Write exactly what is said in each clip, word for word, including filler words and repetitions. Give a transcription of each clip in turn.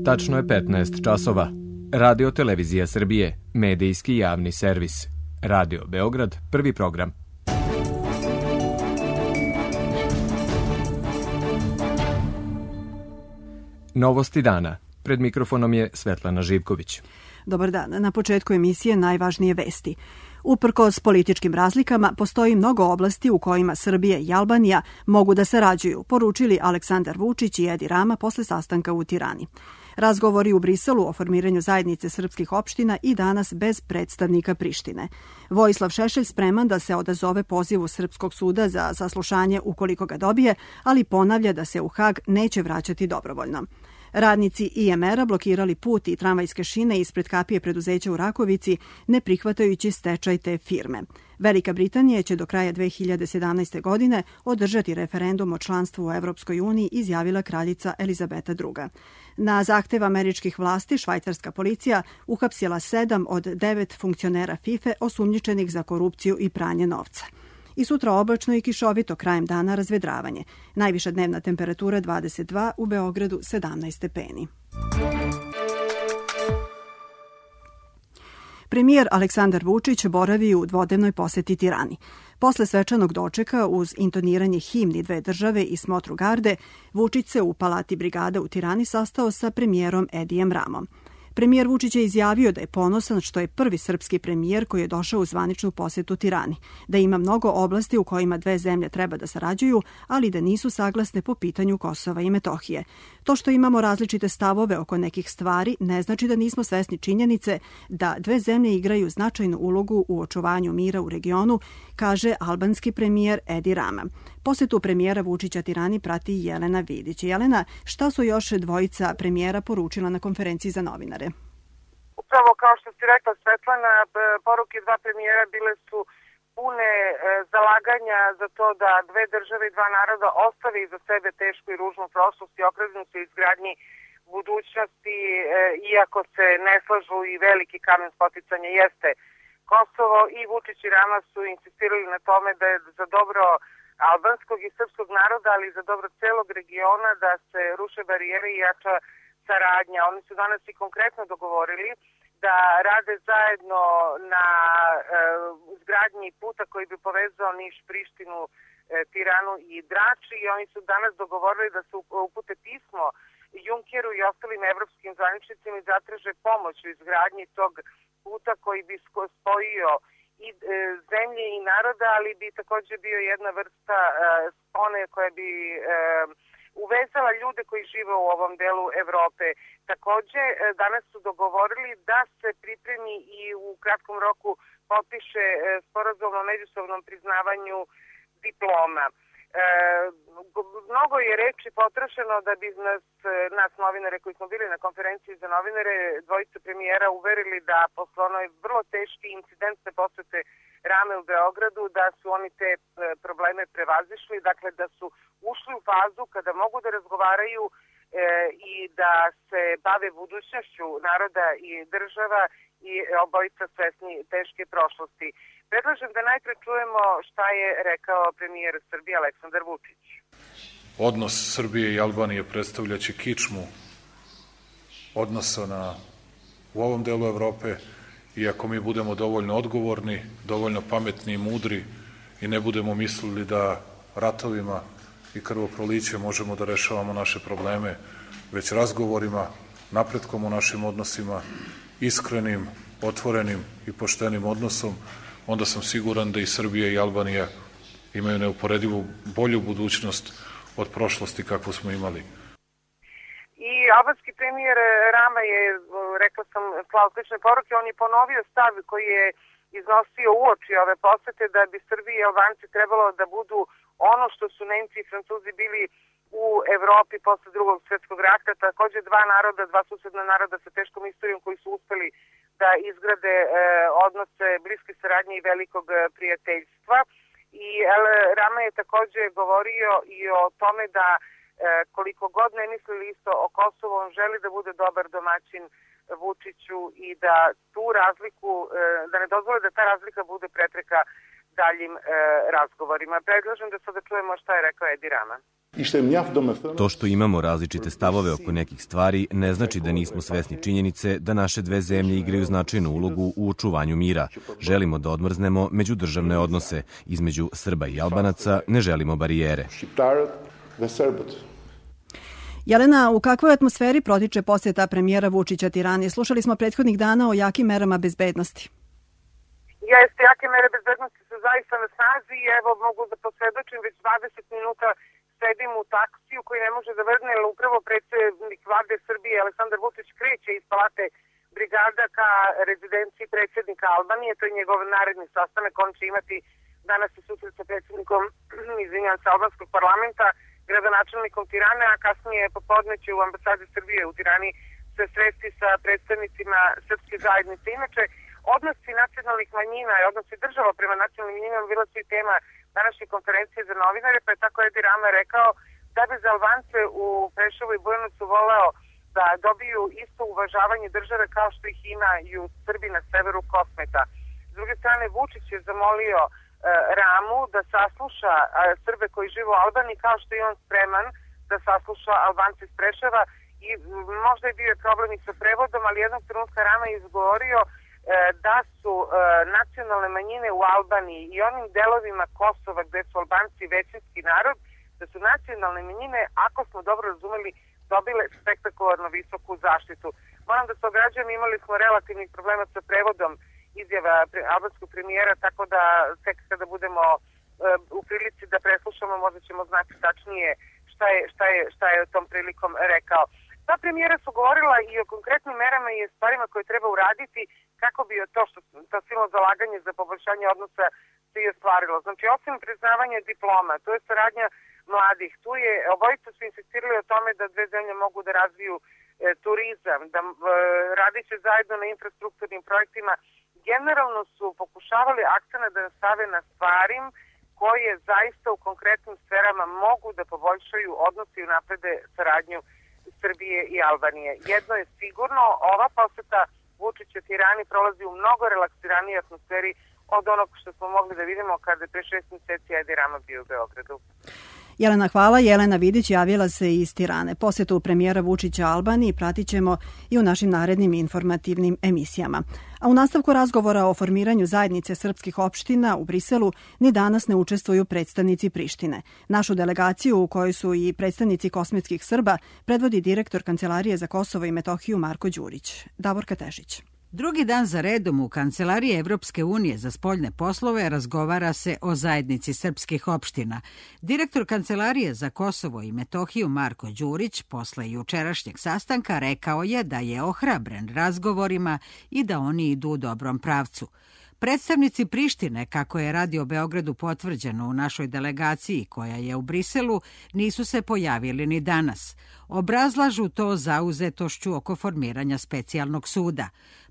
Tačno je petnaest časova. Radio Televizija Srbije, medijski javni servis. Radio Beograd, prvi program. Novosti dana. Pred mikrofonom je Svetlana Živković. Dobar dan. Na početku emisije najvažnije vesti. Uprkos političkim razlikama, postoji mnogo oblasti u kojima Srbija i Albanija mogu da sarađuju, poručili Aleksandar Vučić i Edi Rama posle sastanka u Tirani. Razgovori u Briselu o formiranju zajednice srpskih opština i danas bez predstavnika Prištine. Vojislav Šešelj spreman da se odazove pozivu Srpskog suda za saslušanje ukoliko ga dobije, ali ponavlja da se u Hag neće vraćati dobrovoljno. Radnici I M R-a blokirali put i tramvajske šine ispred kapije preduzeća u Rakovici, ne prihvatajući stečaj te firme. Velika Britanija će do kraja dve hiljade sedamnaeste. godine održati referendum o članstvu u Evropskoj uniji, izjavila kraljica Elizabeta druga. Na zahtev američkih vlasti, švajcarska policija uhapsila sedam od devet funkcionera FIFA osumnjičenih za korupciju i pranje novca. I sutra oblačno i kišovito, krajem dana razvedravanje. Najviša dnevna temperatura dvadeset dva, u Beogradu sedamnaest stepeni. Premijer Aleksandar Vučić boravi u dvodnevnoj poseti Tirani. Posle svečanog dočeka uz intoniranje himni dve države i smotru garde, Vučić se u Palati brigada u Tirani sastao sa premijerom Edijem Ramom. Premijer Vučić je izjavio da je ponosan što je prvi srpski premijer koji je došao u zvaničnu posetu Tirani, da ima mnogo oblasti u kojima dve zemlje treba da sarađuju, ali da nisu saglasne po pitanju Kosova i Metohije. To što imamo različite stavove oko nekih stvari ne znači da nismo svesni činjenice da dve zemlje igraju značajnu ulogu u očuvanju mira u regionu, kaže albanski premijer Edi Rama. Posetu premijera Vučića Tirani prati Jelena Vidić. Jelena, šta su još dvojica premijera poručila na konferenciji za novinare? Upravo kao što si rekla, Svetlana, poruke dva premijera bile su pune zalaganja za to da dve države i dva naroda ostave iza sebe tešku i ružnu prošlost i okrenu se izgradnji budućnosti, iako se ne slažu i veliki kamen spoticanja jeste Kosovo. I Vučić i Rama su insistirali na tome da je za dobro albanskog i srpskog naroda, ali i za dobro celog regiona da se ruše barijere i jača saradnja. Oni su danas i konkretno dogovorili da rade zajedno na e, izgradnji puta koji bi povezao Niš, Prištinu, e, Tiranu i Drač, i oni su danas dogovorili da se upute pismo Junkeru i ostalim evropskim zvaničnicima i zatraže pomoć u izgradnji tog puta koji bi spojio i e, zemlje i naroda, ali bi također bio jedna vrsta e, spone koja bi e, uvezala ljude koji žive u ovom delu Evrope. Također e, danas su dogovorili da se pripremi i u kratkom roku potpiše e, sporazum o međusobnom priznavanju diploma. E, mnogo je reči potrošeno da bi nas, nas novinare koji smo bili na konferenciji za novinare, dvojica premijera uverili da posle onoj vrlo teški incidentne posete Rame u Beogradu, da su oni te probleme prevazišli, dakle da su ušli u fazu kada mogu da razgovaraju e, i da se bave budućnošću naroda i država i obojica svesni teške prošlosti. Predlažem da najpre čujemo šta je rekao premijer Srbije Aleksandar Vučić. Odnos Srbije i Albanije predstavljaće kičmu odnosa na, u ovom delu Evrope, i ako mi budemo dovoljno odgovorni, dovoljno pametni i mudri i ne budemo mislili da ratovima i krvoprolićem možemo da rešavamo naše probleme, već razgovorima, napretkom u našim odnosima, iskrenim, otvorenim i poštenim odnosom, onda sam siguran da i Srbija i Albanija imaju neuporedivu bolju budućnost od prošlosti kakvu smo imali. I albanski premijer Rama je, rekla sam, slao slične poruke, on je ponovio stav koji je iznosio uoči ove posete da bi Srbiji i Albanci trebalo da budu ono što su Nemci i Francuzi bili u Evropi posle drugog svjetskog rata, također dva naroda, dva susedna naroda sa teškom istorijom koji su uspeli da izgrade e, odnose bliske saradnje i velikog prijateljstva. I El Rama je također govorio i o tome da e, koliko god ne mislili isto o Kosovu, on želi da bude dobar domaćin Vučiću i da tu razliku, e, da ne dozvole da ta razlika bude prepreka daljim e, razgovorima. Predlažem da sada čujemo šta je rekao Edi Rama. To što imamo različite stavove oko nekih stvari ne znači da nismo svesni činjenice da naše dve zemlje igraju značajnu ulogu u očuvanju mira. Želimo da odmrznemo međudržavne odnose. Između Srba i Albanaca ne želimo barijere. Jelena, u kakvoj atmosferi protiče posjeta premijera Vučića Tirani? Slušali smo prethodnih dana o jakim merama bezbednosti. Jeste, jake mere bezbednosti su zaista na snazi i evo mogu da posvedočim, već dvadeset minuta sedim u taksiju koji ne može da vrne, jer upravo predsjednik vlade Srbije Aleksandar Vučić kreće iz palate brigada ka rezidenciji predsjednika Albanije. To je njegov naredni sastanak. On će imati danas i sutra sa predsjednikom izvinjam se, albanskog parlamenta, gradonačelnikom Tirane, a kasnije popodne će u ambasadi Srbije u Tirani se sresti sa predstavnicima srpske zajednice. Inače, odnosi nacionalnih manjina i odnosi država prema nacionalnim manjinama bila su i tema današnje konferencije za novinare, pa je tako Edi Rama rekao da bi za Albance u Preševu i Bujanovcu voleo da dobiju isto uvažavanje države kao što ih imaju Srbi na severu Kosmeta. S druge strane, Vučić je zamolio e, Ramu da sasluša e, Srbe koji žive u Albaniji kao što je on spreman da sasluša Albance iz Preševa i m, možda je bio problem i sa prevodom, ali jednog trenutka Rama je izgovorio da su e, nacionalne manjine u Albaniji i onim delovima Kosova gde su Albanci većinski narod, da su nacionalne manjine, ako smo dobro razumeli, dobile spektakularno visoku zaštitu. Moram da se ograđujem, imali smo relativnih problema sa prevodom izjava albanskog premijera, tako da tek kada budemo e, u prilici da preslušamo, možda ćemo znati tačnije šta je, šta je, šta je tom prilikom rekao. Ta premijera su govorila i o konkretnim merama i stvarima koje treba uraditi kako bi to što to silno zalaganje za poboljšanje odnosa se i ostvarilo. Znači, osim priznavanja diploma, to je saradnja mladih, tu je, obojica su insistirali o tome da dve zemlje mogu da razviju e, turizam, da e, radit će zajedno na infrastrukturnim projektima. Generalno su pokušavali akcena da stave na stvarim koje zaista u konkretnim sferama mogu da poboljšaju odnose i unaprede saradnju Srbije i Albanije. Jedno je sigurno, ova poseta Vučića Tirani prolazi u mnogo relaksiranijoj atmosferi od onog što smo mogli da vidimo kada je pre šest mjeseci Edi Rama bio u Beogradu. Jelena, hvala. Jelena Vidić javila se iz Tirane. Posjetu premijera Vučića Albaniji pratit ćemo i u našim narednim informativnim emisijama. A u nastavku razgovora o formiranju zajednice srpskih opština u Briselu ni danas ne učestvuju predstavnici Prištine. Našu delegaciju, u kojoj su i predstavnici kosmetskih Srba, predvodi direktor Kancelarije za Kosovo i Metohiju Marko Đurić. Davorka Tešić. Drugi dan za redom u Kancelariji Evropske unije za spoljne poslove razgovara se o zajednici srpskih opština. Direktor Kancelarije za Kosovo i Metohiju Marko Đurić posle jučerašnjeg sastanka rekao je da je ohrabren razgovorima i da oni idu u dobrom pravcu. Predstavnici Prištine, kako je Radio Beogradu potvrđeno u našoj delegaciji koja je u Briselu, nisu se pojavili ni danas. Obrazlažu to zauzetošću oko formiranja specijalnog suda.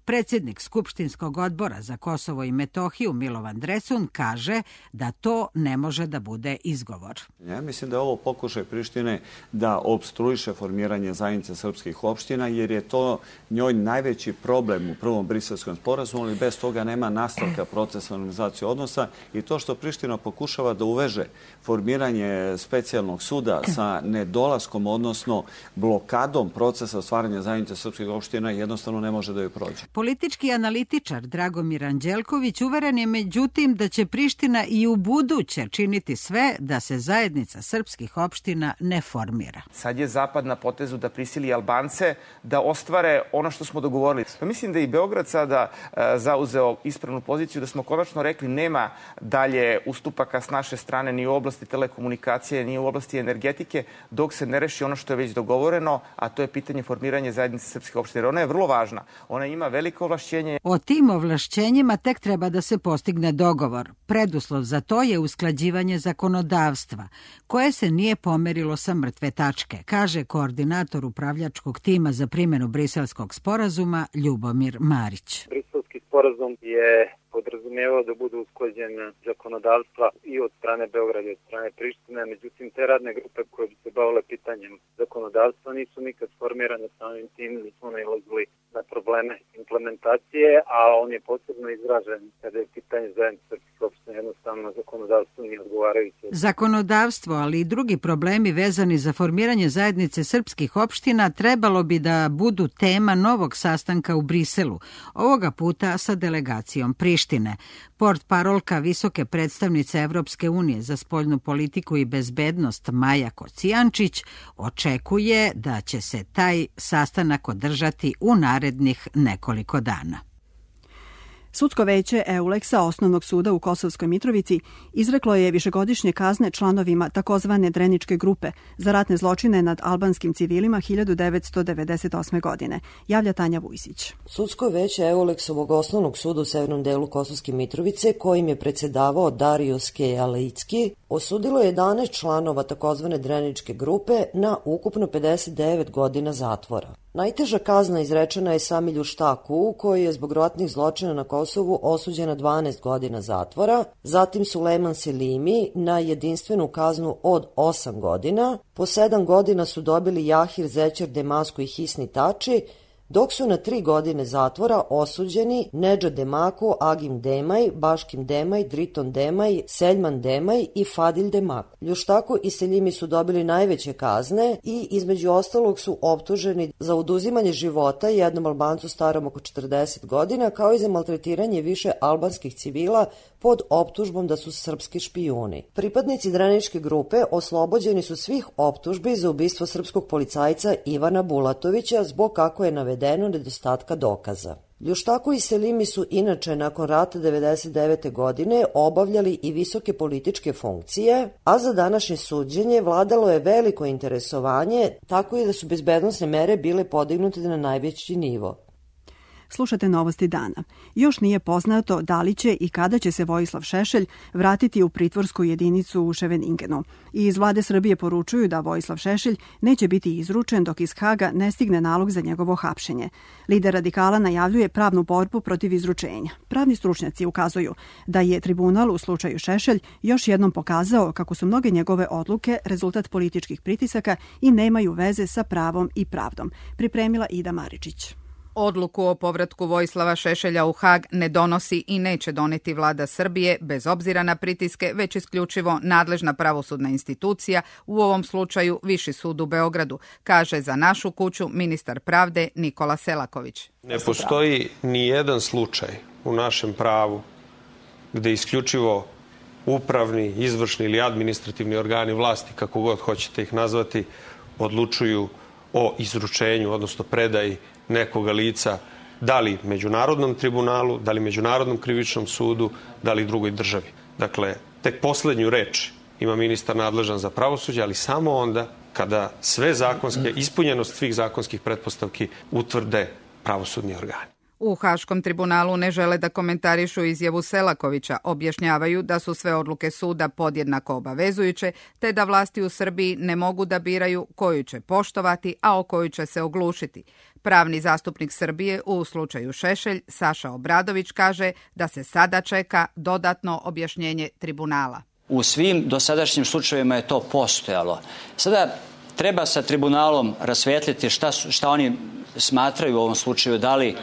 Predsjednik Skupštinskog odbora za Kosovo i Metohiju Milovan Drecun kaže da to ne može da bude izgovor. Ja mislim da je ovo pokušaj Prištine da opstruiše formiranje zajednice srpskih opština, jer je to njoj najveći problem u prvom briselskom sporazumu, ali bez toga nema nastavka procesa normalizacije odnosa i to što Priština pokušava da uveže formiranje specijalnog suda sa nedolaskom, odnosno blokadom procesa stvaranja zajednice srpskih opština jednostavno ne može da joj prođe. Politički analitičar Dragomir Anđelković uveren je međutim da će Priština i u buduće činiti sve da se zajednica srpskih opština ne formira. Sad je Zapad na potezu da prisili Albance da ostvare ono što smo dogovorili. Pa mislim da i Beograd sada uh, zauzeo ispravnu poziciju, da smo konačno rekli nema dalje ustupaka s naše strane ni u oblasti telekomunikacije, ni u oblasti energetike, dok se ne reši ono što je već dogovoreno, a to je pitanje formiranja zajednice srpskih opština. Jer ona je vrlo važna. Ona ima veliko ovlašćenje. O tim ovlašćenjima tek treba da se postigne dogovor. Preduslov za to je usklađivanje zakonodavstva, koje se nije pomerilo sa mrtve tačke, kaže koordinator upravljačkog tima za primjenu briselskog sporazuma Ljubomir Marić. Briselski sporazum je podrazumijevao da budu usklađene zakonodavstva i od strane Beograda i od strane Prištine, međutim te radne grupe koje bi se bavile pitanjem zakonodavstva nisu nikad formirane, samim tim nismo nailazili na probleme implementacije, a on je posebno izražen kada je pitanje zajednice srpskih opština. Jednostavno nacionalno zakonodavstvo nije odgovarajuće. Zakonodavstvo, ali i drugi problemi vezani za formiranje zajednice srpskih opština trebalo bi da budu tema novog sastanka u Briselu, ovoga puta sa delegacijom Prištine. Portparolka visoke predstavnice Evropske unije za spoljnu politiku i bezbednost Maja Kocijančić očekuje da će se taj sastanak održati u narednih nekoliko dana. Sudsko veće Euleksa Osnovnog suda u Kosovskoj Mitrovici izreklo je višegodišnje kazne članovima takozvane Dreničke grupe za ratne zločine nad albanskim civilima hiljadu devetsto devedeset osme. godine. Javlja Tanja Vujsić. Sudsko veće Euleksovog Osnovnog suda u severnom delu Kosovske Mitrovice, kojim je predsjedavao Dario Skejalicki, osudilo je jedanaest članova takozvane Dreničke grupe na ukupno pedeset devet godina zatvora. Najteža kazna izrečena je Samilju Štaku, koji je zbog ratnih zločina na Kosovu osuđen na dvanaest godina zatvora, zatim Sulejman Selimi na jedinstvenu kaznu od osam godina, po sedam godina su dobili Jahir Zećer Demasko i Hisni Tači, dok su na tri godine zatvora osuđeni Nedža Demako, Agim Demaj, Baškim Demaj, Driton Demaj, Seljman Demaj i Fadil Demak. Ljuštako i Seljimi su dobili najveće kazne i između ostalog su optuženi za oduzimanje života jednom Albancu starom oko četrdeset godina, kao i za maltretiranje više albanskih civila pod optužbom da su srpski špijuni. Pripadnici Dreničke grupe oslobođeni su svih optužbi za ubistvo srpskog policajca Ivana Bulatovića zbog, kako je navedeno, nedostatka dokaza. Ljuštako i Selimi su inače nakon rata devedeset devete. godine obavljali i visoke političke funkcije, a za današnje suđenje vladalo je veliko interesovanje, tako i da su bezbednosne mere bile podignute na najveći nivo. Slušate Novosti dana. Još nije poznato da li će i kada će se Vojislav Šešelj vratiti u pritvorsku jedinicu u Ševeningenu. I iz vlade Srbije poručuju da Vojislav Šešelj neće biti izručen dok iz Haga ne stigne nalog za njegovo hapšenje. Lider radikala najavljuje pravnu borbu protiv izručenja. Pravni stručnjaci ukazuju da je tribunal u slučaju Šešelj još jednom pokazao kako su mnoge njegove odluke rezultat političkih pritisaka i nemaju veze sa pravom i pravdom. Pripremila Ida Maričić. Odluku o povratku Vojislava Šešelja u Hag ne donosi i neće doneti vlada Srbije, bez obzira na pritiske, već isključivo nadležna pravosudna institucija, u ovom slučaju Viši sud u Beogradu, kaže za Našu kuću ministar pravde Nikola Selaković. Ne postoji ni jedan slučaj u našem pravu gde isključivo upravni, izvršni ili administrativni organi vlasti, kako god hoćete ih nazvati, odlučuju o izručenju, odnosno predaji nekoga lica, da li međunarodnom tribunalu, da li međunarodnom krivičnom sudu, da li drugoj državi. Dakle, tek poslednju reč ima ministar nadležan za pravosuđe, ali samo onda kada sve zakonske, ispunjenost svih zakonskih pretpostavki utvrde pravosudni organi. U Haškom tribunalu ne žele da komentarišu izjavu Selakovića, objašnjavaju da su sve odluke suda podjednako obavezujuće, te da vlasti u Srbiji ne mogu da biraju koju će poštovati, a o koju će se oglušiti. Pravni zastupnik Srbije u slučaju Šešelj, Saša Obradović, kaže da se sada čeka dodatno objašnjenje tribunala. U svim dosadašnjim slučajevima je to postojalo. Sada treba sa tribunalom rasvetliti šta, šta oni smatraju u ovom slučaju, da li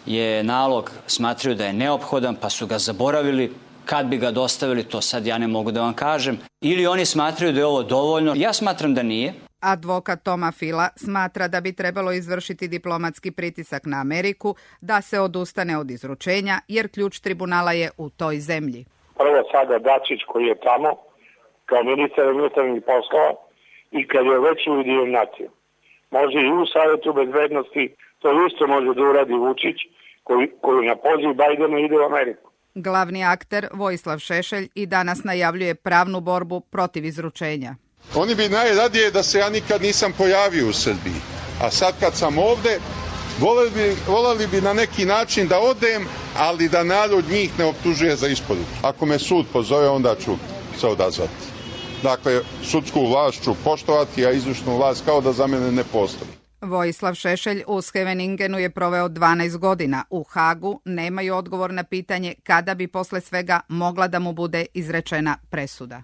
je nalog, smatraju da je neophodan, pa su ga zaboravili, kad bi ga dostavili, to sad ja ne mogu da vam kažem, ili oni smatraju da je ovo dovoljno. Ja smatram da nije. Advokat Toma Fila smatra da bi trebalo izvršiti diplomatski pritisak na Ameriku da se odustane od izručenja, jer ključ tribunala je u toj zemlji. Prvo sada Dačić koji je tamo, kao ministar unutrašnjih poslova, i kad je već uvidio naciju. Može i u Savetu bezbednosti, to isto može da uradi Vučić, koji, koji na poziv Bajdena ide u Ameriku. Glavni akter Vojislav Šešelj i danas najavljuje pravnu borbu protiv izručenja. Oni bi najradije da se ja nikad nisam pojavio u Srbiji, a sad kad sam ovde, volali bi, volali bi na neki način da odem, ali da narod njih ne optužuje za isporuku. Ako me sud pozove, onda ću se odazvati. Dakle, sudsku vlast ću poštovati, a izvršnu vlast kao da za mene ne postoji. Vojislav Šešelj u Scheveningenu je proveo dvanaest godina. U Hagu nemaju odgovor na pitanje kada bi posle svega mogla da mu bude izrečena presuda.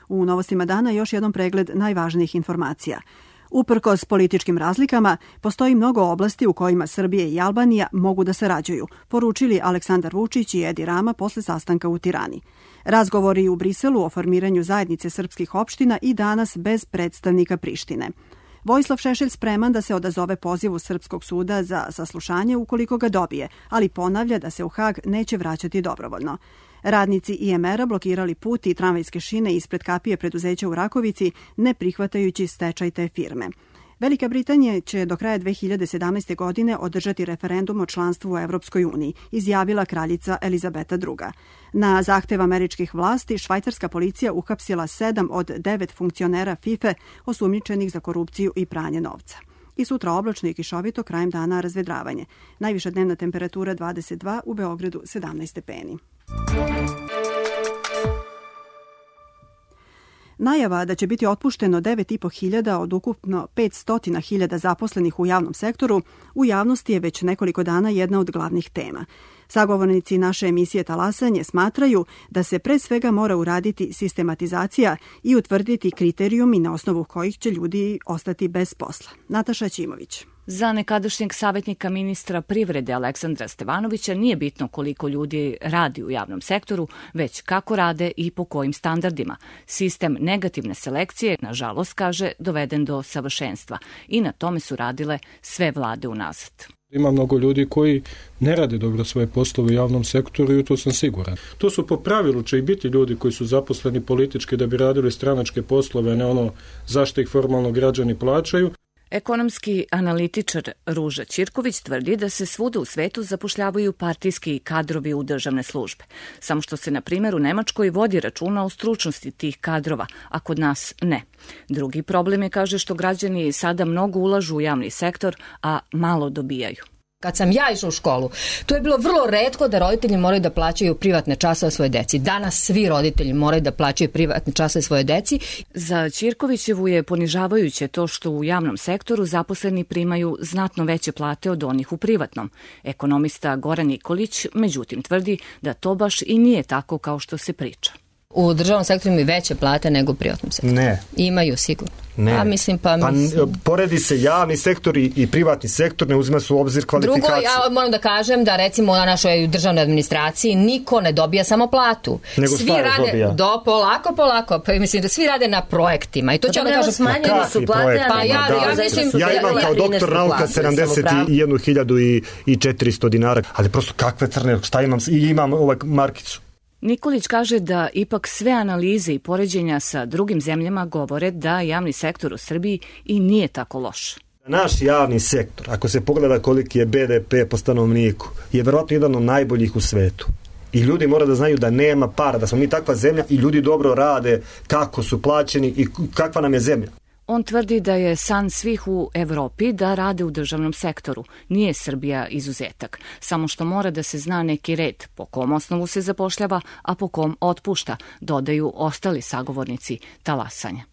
U Novostima dana još jedan pregled najvažnijih informacija. Uprkos političkim razlikama, postoji mnogo oblasti u kojima Srbija i Albanija mogu da sarađuju, poručili Aleksandar Vučić i Edi Rama posle sastanka u Tirani. Razgovori u Briselu o formiranju zajednice srpskih opština i danas bez predstavnika Prištine. Vojislav Šešelj spreman da se odazove pozivu Srpskog suda za saslušanje ukoliko ga dobije, ali ponavlja da se u Hag neće vraćati dobrovoljno. Radnici I M R-a blokirali put i tramvajske šine ispred kapije preduzeća u Rakovici, ne prihvatajući stečaj te firme. Velika Britanija će do kraja dve hiljade sedamnaeste. godine održati referendum o članstvu u Evropskoj uniji, izjavila kraljica Elizabeta druga. Na zahtev američkih vlasti, švajcarska policija uhapsila sedam od devet funkcionera FIFA osumnjičenih za korupciju i pranje novca. I sutra oblačno i kišovito, krajem dana razvedravanje. Najviša dnevna temperatura dvadeset dva, u Beogradu sedamnaest stepeni. Najava da će biti otpušteno devet i po hiljada od ukupno petsto hiljada zaposlenih u javnom sektoru u javnosti je već nekoliko dana jedna od glavnih tema. Sagovornici naše emisije Talasanje smatraju da se pre svega mora uraditi sistematizacija i utvrditi kriterijumi na osnovu kojih će ljudi ostati bez posla. Nataša Ćimović. Za nekadašnjeg savjetnika ministra privrede Aleksandra Stevanovića nije bitno koliko ljudi radi u javnom sektoru, već kako rade i po kojim standardima. Sistem negativne selekcije, nažalost, kaže, doveden do savršenstva i na tome su radile sve vlade unazad. Ima mnogo ljudi koji ne rade dobro svoje poslove u javnom sektoru i u to sam siguran. To su po pravilu će i biti ljudi koji su zaposleni politički da bi radili stranačke poslove, a ne ono zašto ih formalno građani plaćaju. Ekonomski analitičar Ruža Ćirković tvrdi da se svuda u svetu zapošljavaju partijski kadrovi u državne službe. Samo što se, na primjer, u Nemačkoj vodi računa o stručnosti tih kadrova, a kod nas ne. Drugi problem je, kaže, što građani sada mnogo ulažu u javni sektor, a malo dobijaju. Kad sam ja išla u školu, to je bilo vrlo retko da roditelji moraju da plaćaju privatne časove svoje deci. Danas svi roditelji moraju da plaćaju privatne časove svoje deci. Za Ćirkovićevu je ponižavajuće to što u javnom sektoru zaposleni primaju znatno veće plate od onih u privatnom. Ekonomista Goran Nikolić, međutim, tvrdi da to baš i nije tako kao što se priča. U državnom sektoru imaju veće plate nego u privatnom sektoru. Ne. Imaju, sigurno. Ne. A mislim pa... mislim... Pa poredi se javni sektor i, i privatni sektor, ne uzima se u obzir kvalifikacije. Drugo, ja moram da kažem da recimo na našoj državnoj administraciji niko ne dobija samo platu. Nego svi rade dobija. Do polako, polako. Pa mislim da svi rade na projektima. I to će onda kažem... Smanjeni su plate, pa ja, ja, mislim, ja imam kao doktor nauka sedamdeset jednu hiljadu i četiristo dinara, ali prosto kakve crne, šta imam, i imam ovaj markicu. Nikolić kaže da ipak sve analize i poređenja sa drugim zemljama govore da javni sektor u Srbiji i nije tako loš. Naš javni sektor, ako se pogleda koliki je B D P po stanovniku, je verovatno jedan od najboljih u svetu. I ljudi mora da znaju da nema para, da smo mi takva zemlja i ljudi dobro rade, kako su plaćeni i kakva nam je zemlja. On tvrdi da je san svih u Evropi da rade u državnom sektoru. Nije Srbija izuzetak. Samo što mora da se zna neki red po kom osnovu se zapošljava, a po kom otpušta, dodaju ostali sagovornici Talasanja.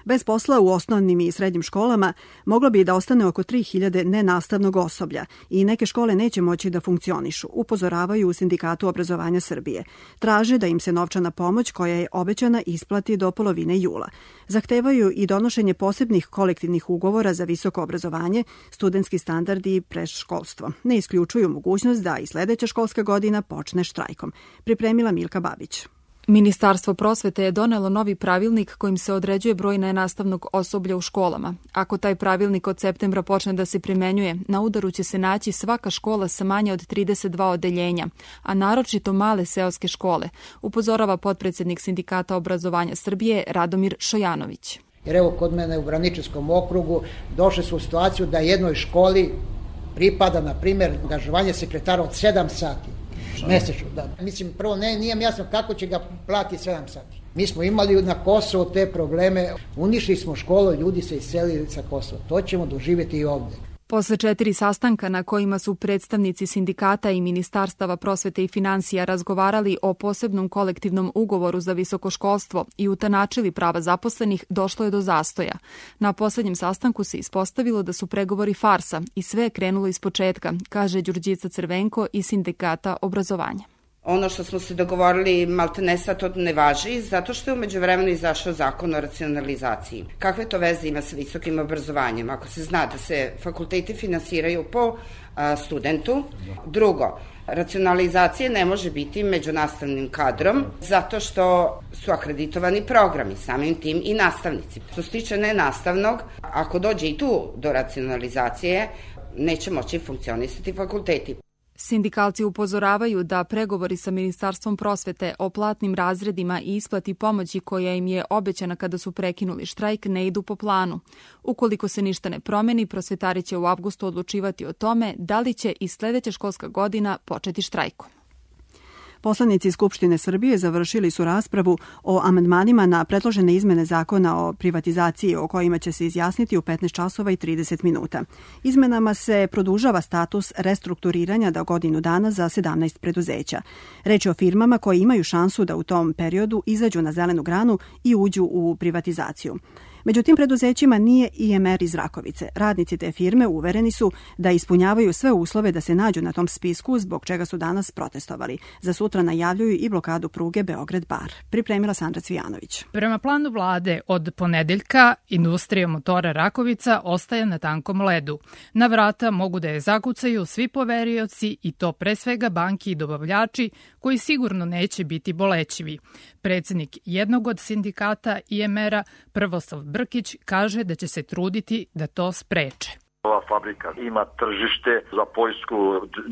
Bez posla u osnovnim i srednjim školama moglo bi da ostane oko tri hiljade nenastavnog osoblja i neke škole neće moći da funkcionišu, upozoravaju u Sindikatu obrazovanja Srbije. Traže da im se novčana pomoć koja je obećana isplati do polovine jula. Zahtevaju i donošenje posebnih kolektivnih ugovora za visoko obrazovanje, studentski standardi i predškolstvo. Ne isključuju mogućnost da i sledeća školska godina počne štrajkom. Pripremila Milka Babić. Ministarstvo prosvete je donelo novi pravilnik kojim se određuje broj nenastavnog osoblja u školama. Ako taj pravilnik od septembra počne da se primenjuje, na udaru će se naći svaka škola sa manje od trideset dva odeljenja, a naročito male seoske škole, upozorava potpredsednik Sindikata obrazovanja Srbije Radomir Šojanović. Jer evo kod mene u Braničevskom okrugu došli su u situaciju da jednoj školi pripada, na primjer, angažovanje sekretara od sedam sati. Mesečno, da. Mislim, prvo ne, nije mi jasno kako će ga platiti sedam sati. Mi smo imali na Kosovo te probleme, uništili smo školu, ljudi se iselili sa Kosova. To ćemo doživjeti i ovdje. Posle četiri sastanka na kojima su predstavnici sindikata i ministarstava prosvete i finansija razgovarali o posebnom kolektivnom ugovoru za visoko školstvo i utanačili prava zaposlenih, došlo je do zastoja. Na poslednjem sastanku se ispostavilo da su pregovori farsa i sve je krenulo iz početka, kaže Đurđica Crvenko iz Sindikata obrazovanja. Ono što smo se dogovorili, malte ne sad to ne važi, zato što je umeđu vremenu izašao zakon o racionalizaciji. Kakve to veze ima sa visokim obrazovanjem? Ako se zna da se fakulteti finansiraju po a, studentu. Drugo, racionalizacija ne može biti među nastavnim kadrom zato što su akreditovani programi, samim tim i nastavnici. Što se tiče nenastavnog, ako dođe i tu do racionalizacije, neće moći funkcionisati fakulteti. Sindikalci upozoravaju da pregovori sa Ministarstvom prosvete o platnim razredima i isplati pomoći koja im je obećana kada su prekinuli štrajk ne idu po planu. Ukoliko se ništa ne promeni, prosvetari će u avgustu odlučivati o tome da li će i sledeća školska godina početi štrajkom. Poslanici Skupštine Srbije završili su raspravu o amandmanima na predložene izmene zakona o privatizaciji o kojima će se izjasniti u petnaest časova i trideset minuta. Izmenama se produžava status restrukturiranja do godinu dana za sedamnaest preduzeća. Reč je o firmama koje imaju šansu da u tom periodu izađu na zelenu granu i uđu u privatizaciju. Među tim preduzećima nije I M R iz Rakovice. Radnici te firme uvereni su da ispunjavaju sve uslove da se nađu na tom spisku, zbog čega su danas protestovali. Za sutra najavljuju i blokadu pruge Beograd-Bar. Pripremila Sandra Cvijanović. Prema planu vlade, od ponedeljka industrija motora Rakovica ostaje na tankom ledu. Na vrata mogu da je zakucaju svi poverioci i to pre svega banki i dobavljači koji sigurno neće biti bolećivi. Predsednik jednog od sindikata I M R-a, Prvoslav Brkić, kaže da će se truditi da to spreče. Ova fabrika ima tržište za Poljsku,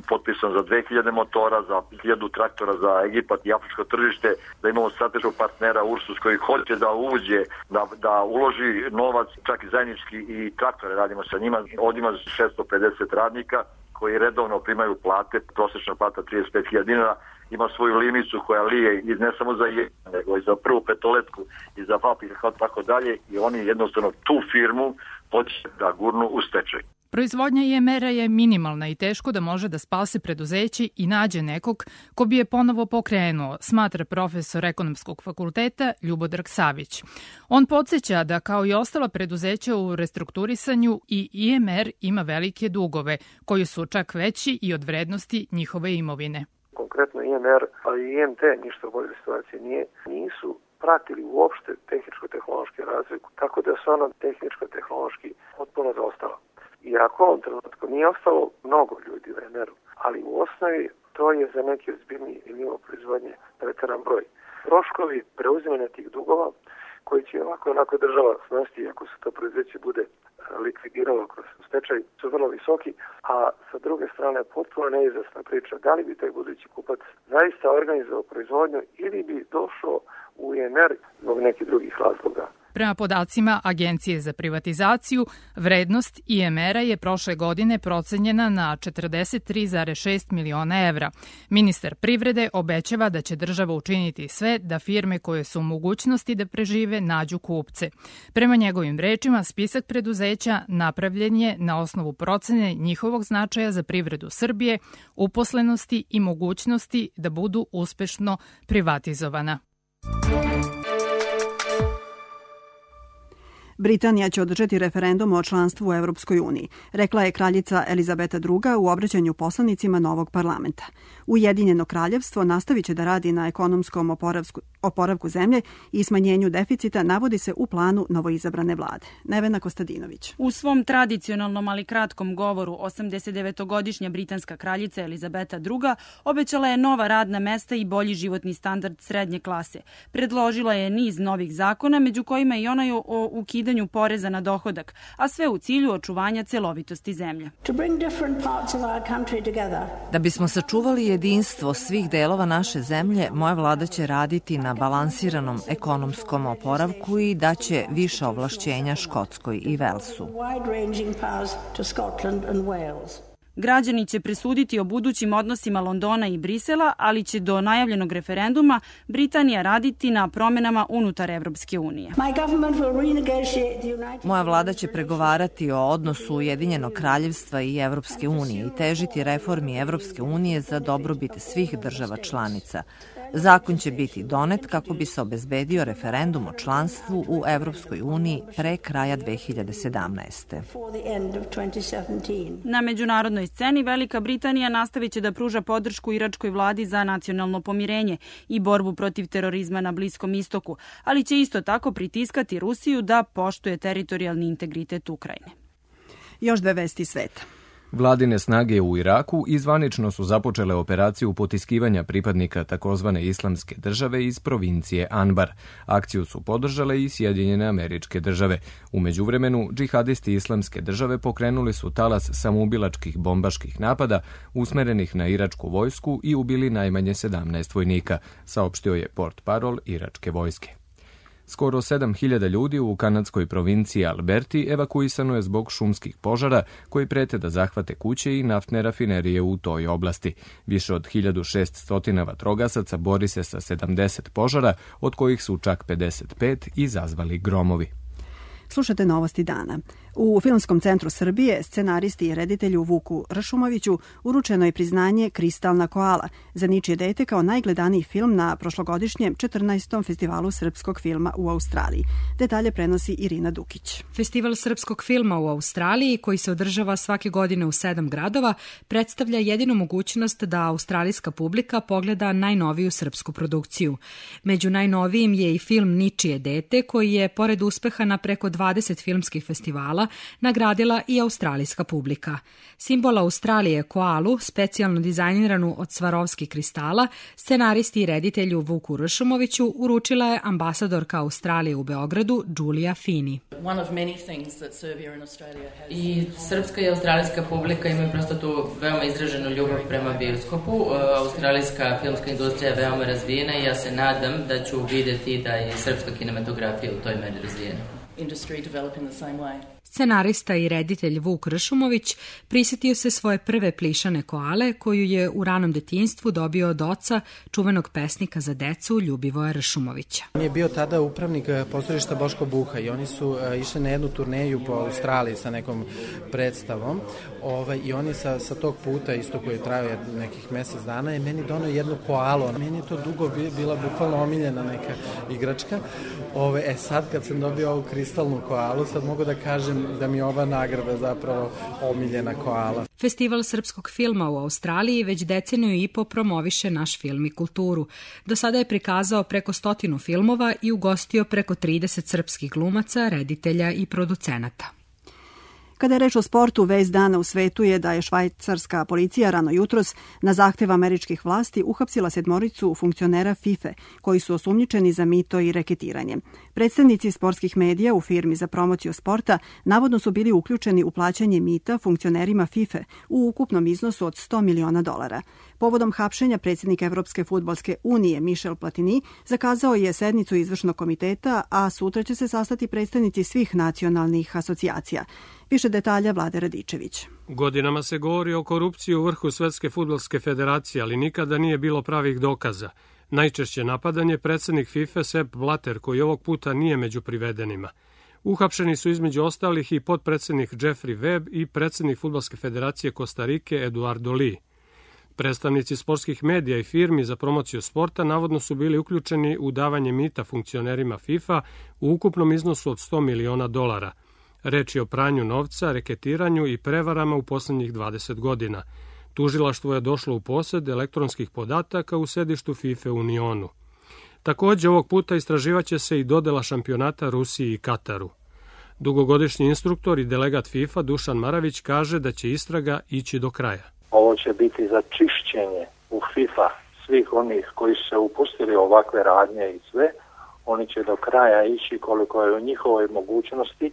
potpisan za dve hiljade motora, za hiljadu traktora za Egipat i afričko tržište, da imamo strateškog partnera Ursus koji hoće da uđe, da, da uloži novac, čak i zajednički i traktore radimo sa njima. Od ima šesto pedeset radnika koji redovno primaju plate, prosječna plata trideset pet hiljada dinara, ima svoju limicu koja lije i ne samo za jedan, nego i za prvu petoletku i za vap i tako dalje i oni jednostavno tu firmu hoće da gurnu u stečaj. Proizvodnja I M R-a je minimalna i teško da može da spase preduzeće i nađe nekog ko bi je ponovo pokrenuo, smatra profesor ekonomskog fakulteta Ljubodrag Savić. On podsjeća da kao i ostala preduzeća u restrukturisanju i I M R ima velike dugove, koji su čak veći i od vrednosti njihove imovine. Konkretno I M R, ali i I M T ništa u boljoj situaciji nije, nisu pratili uopšte tehničko-tehnološki razvoj, tako da su ono tehničko-tehnološki potpuno zaostala. Iako u ovom trenutku nije ostalo mnogo ljudi u I M R-u, ali u osnovi to je za neki ozbiljni nivo proizvodnje preteran broj. Troškovi preuzimanja tih dugova, koji će ovako onako država snosti ako se to proizveće bude likvidiralo kroz stečaj, su vrlo visoki, a sa druge strane potpuno neizvesna priča da li bi taj budući kupac zaista organizovao proizvodnju ili bi došao u I M R zbog nekih drugih razloga. Prema podacima Agencije za privatizaciju, vrednost I M R-a je prošle godine procenjena na četrdeset tri zarez šest miliona evra. Ministar privrede obećava da će država učiniti sve da firme koje su u mogućnosti da prežive nađu kupce. Prema njegovim rečima, spisak preduzeća napravljen je na osnovu procene njihovog značaja za privredu Srbije, uposlenosti i mogućnosti da budu uspešno privatizovana. Britanija će održati referendum o članstvu u Evropskoj uniji, rekla je kraljica Elizabeta druga u obraćanju poslanicima novog parlamenta. Ujedinjeno kraljevstvo nastavit će da radi na ekonomskom oporavku, oporavku zemlje i smanjenju deficita, navodi se u planu novoizabrane vlade. Nevena Kostadinović. U svom tradicionalnom ali kratkom govoru osamdesetdevetogodišnja britanska kraljica Elizabeta druga obećala je nova radna mesta i bolji životni standard srednje klase. Predložila je niz novih zakona, među kojima i onaj o ukidanju poreza na dohodak, a sve u cilju očuvanja celovitosti zemlje. Da bismo sačuvali jedinstvo svih delova naše zemlje, moja vlada će raditi na balansiranom ekonomskom oporavku i daće više ovlašćenja Škotskoj i Velsu. Građani će presuditi o budućim odnosima Londona i Brisela, ali će do najavljenog referenduma Britanija raditi na promenama unutar Evropske unije. Moja vlada će pregovarati o odnosu Ujedinjenog kraljevstva i Evropske unije i težiti reformi Evropske unije za dobrobit svih država članica. Zakon će biti donet kako bi se obezbedio referendum o članstvu u Evropskoj uniji pre kraja dve hiljade sedamnaeste. Na međunarodnoj sceni Velika Britanija nastavit će da pruža podršku iračkoj vladi za nacionalno pomirenje i borbu protiv terorizma na Bliskom istoku, ali će isto tako pritiskati Rusiju da poštuje teritorijalni integritet Ukrajine. Još dve vesti sveta. Vladine snage u Iraku izvanično su započele operaciju potiskivanja pripadnika takozvane islamske države iz provincije Anbar. Akciju su podržale i Sjedinjene Američke Države. U međuvremenu, džihadisti islamske države pokrenuli su talas samoubilačkih bombaških napada usmerenih na iračku vojsku i ubili najmanje sedamnaest vojnika, saopštio je portparol iračke vojske. Skoro sedam hiljada ljudi u kanadskoj provinciji Alberti evakuisano je zbog šumskih požara koji prete da zahvate kuće i naftne rafinerije u toj oblasti. Više od hiljadu šeststo vatrogasaca bori se sa sedamdeset požara, od kojih su čak pedeset pet izazvali gromovi. Slušate Novosti dana. U Filmskom centru Srbije scenaristi i reditelju Vuku Ršumoviću uručeno je priznanje Kristalna koala za ničije dete kao najgledaniji film na prošlogodišnjem četrnaestom festivalu srpskog filma u Australiji. Detalje prenosi Irina Dukić. Festival srpskog filma u Australiji, koji se održava svake godine u sedam gradova, predstavlja jedinu mogućnost da australijska publika pogleda najnoviju srpsku produkciju. Među najnovijim je i film Ničije dete, koji je, pored uspeha na preko dvadeset filmskih festivala, nagradila i australijska publika. Simbol Australije, koalu, specijalno dizajniranu od svarovskih kristala, scenaristi i reditelju Vuku Ršumoviću uručila je ambasadorka Australije u Beogradu, Julia Fini. I srpska i australijska publika imaju prosto tu veoma izraženu ljubav prema bioskopu. Australijska filmska industrija je veoma razvijena i ja se nadam da ću vidjeti da je srpska kinematografija u toj meri razvijena. Scenarista i reditelj Vuk Ršumović prisjetio se svoje prve plišane koale koju je u ranom detinjstvu dobio od oca, čuvenog pesnika za decu Ljubivoja Ršumovića. On je bio tada upravnik pozorišta Boško Buha i oni su išli na jednu turneju po Australiji sa nekom predstavom ovaj, i oni sa, sa tog puta, isto koji je trajao nekih mjesec dana, je meni donio jednu koalu. Meni je to dugo bila bukvalno omiljena neka igračka. Ove, e sad kad sam dobio ovu kristalnu koalu, sad mogu da kažem da mi je ova nagrada zapravo omiljena koala. Festival srpskog filma u Australiji već deceniju i po promoviše naš film i kulturu. Do sada je prikazao preko stotinu filmova i ugostio preko trideset srpskih glumaca, reditelja i producenata. Kada je reč o sportu, vest dana u svetu je da je švajcarska policija rano jutros na zahtev američkih vlasti uhapsila sedmoricu funkcionera FIFA koji su osumnjičeni za mito i reketiranje. Predstavnici sportskih medija u firmi za promociju sporta navodno su bili uključeni u plaćanje mita funkcionerima FIFA u ukupnom iznosu od sto miliona dolara. Povodom hapšenja predsjednika Evropske fudbalske unije Michel Platini zakazao je sednicu izvršnog komiteta, a sutra će se sastati predstavnici svih nacionalnih asocijacija. Više detalja Vlade Radičević. Godinama se govori o korupciji u vrhu Svetske fudbalske federacije, ali nikada nije bilo pravih dokaza. Najčešće napadan je predsjednik FIFA Sepp Blatter, koji ovog puta nije među privedenima. Uhapšeni su između ostalih i potpredsjednik Jeffrey Webb i predsjednik Fudbalske federacije Kostarike Eduardo Lee. Predstavnici sportskih medija i firmi za promociju sporta navodno su bili uključeni u davanje mita funkcionerima FIFA u ukupnom iznosu od sto miliona dolara. Reč je o pranju novca, reketiranju i prevarama u posljednjih dvadeset godina. Tužilaštvo je došlo u posjed elektronskih podataka u sedištu FIFA u Nionu. Također ovog puta istraživaće se i dodela šampionata Rusiji i Kataru. Dugogodišnji instruktor i delegat FIFA Dušan Maravić kaže da će istraga ići do kraja. Ovo će biti za čišćenje u FIFA svih onih koji su se upustili ovakve radnje i sve. Oni će do kraja ići koliko je u njihovoj mogućnosti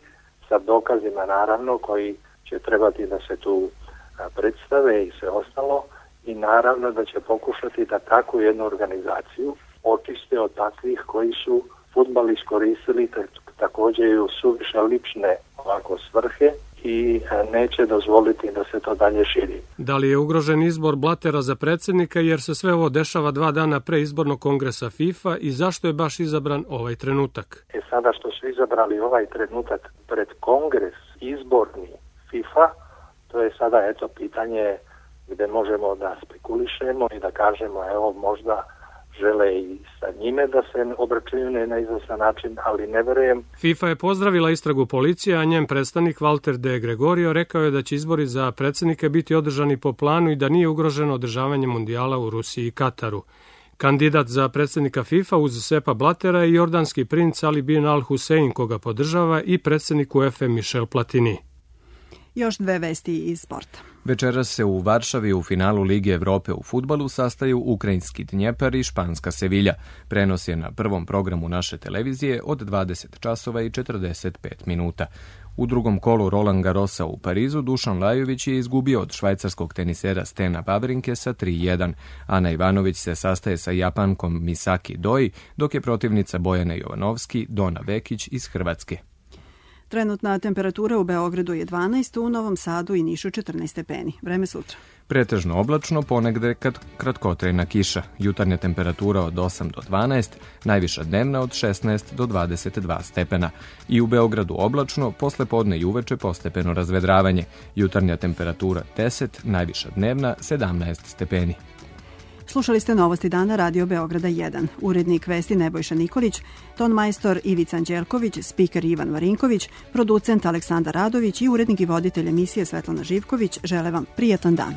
sa dokazima naravno koji će trebati da se tu predstave i sve ostalo i naravno da će pokušati da takvu jednu organizaciju očiste od takvih koji su fudbal iskoristili također i u suviše lične ovako svrhe i neće dozvoliti da se to dalje širi. Da li je ugrožen izbor Blattera za predsjednika jer se sve ovo dešava dva dana pre izbornog kongresa FIFA i zašto je baš izabran ovaj trenutak? E sada što su izabrali ovaj trenutak pred kongres izborni FIFA, to je sada eto pitanje gdje možemo da spekulišemo i da kažemo evo možda žele i sa njime da se obračunaju na izvestan način, ali ne verujem. FIFA je pozdravila istragu policije, a njen predstavnik Walter de Gregorio rekao je da će izbori za predsjednike biti održani po planu i da nije ugroženo održavanje mundijala u Rusiji i Kataru. Kandidat za predsjednika FIFA uz Sepa Blatera je jordanski princ Ali bin Al Hussein, koga podržava i predsjednik UEFA Michel Platini. Još dve vesti iz sporta. Večeras se u Varšavi u finalu Lige Evrope u fudbalu sastaju ukrajinski Dnjepar i španska Sevilja. Prenos je na prvom programu naše televizije od dvadeset časova i četrdeset pet minuta. U drugom kolu Roland Garrosa u Parizu Dušan Lajović je izgubio od švajcarskog tenisera Stena Wawrinke sa tri jedan. Ana Ivanović se sastaje sa Japankom Misaki Doi, dok je protivnica Bojana Jovanovski Dona Vekić iz Hrvatske. Trenutna temperatura u Beogradu je dvanaest, u Novom Sadu i Nišu četrnaest stepeni. Vreme sutra. Pretežno oblačno, ponegde kad kratkotrajna kiša. Jutarnja temperatura od osam do dvanaest, najviša dnevna od šesnaest do dvadeset dva stepena. I u Beogradu oblačno, posle podne i uveče postepeno razvedravanje. Jutarnja temperatura deset, najviša dnevna sedamnaest stepeni. Slušali ste Novosti dana Radio Beograda jedan. Urednik vesti Nebojša Nikolić, ton majstor Ivica Anđelković, spiker Ivan Marinković, producent Aleksandar Radović i urednik i voditelj emisije Svetlana Živković žele vam prijatan dan.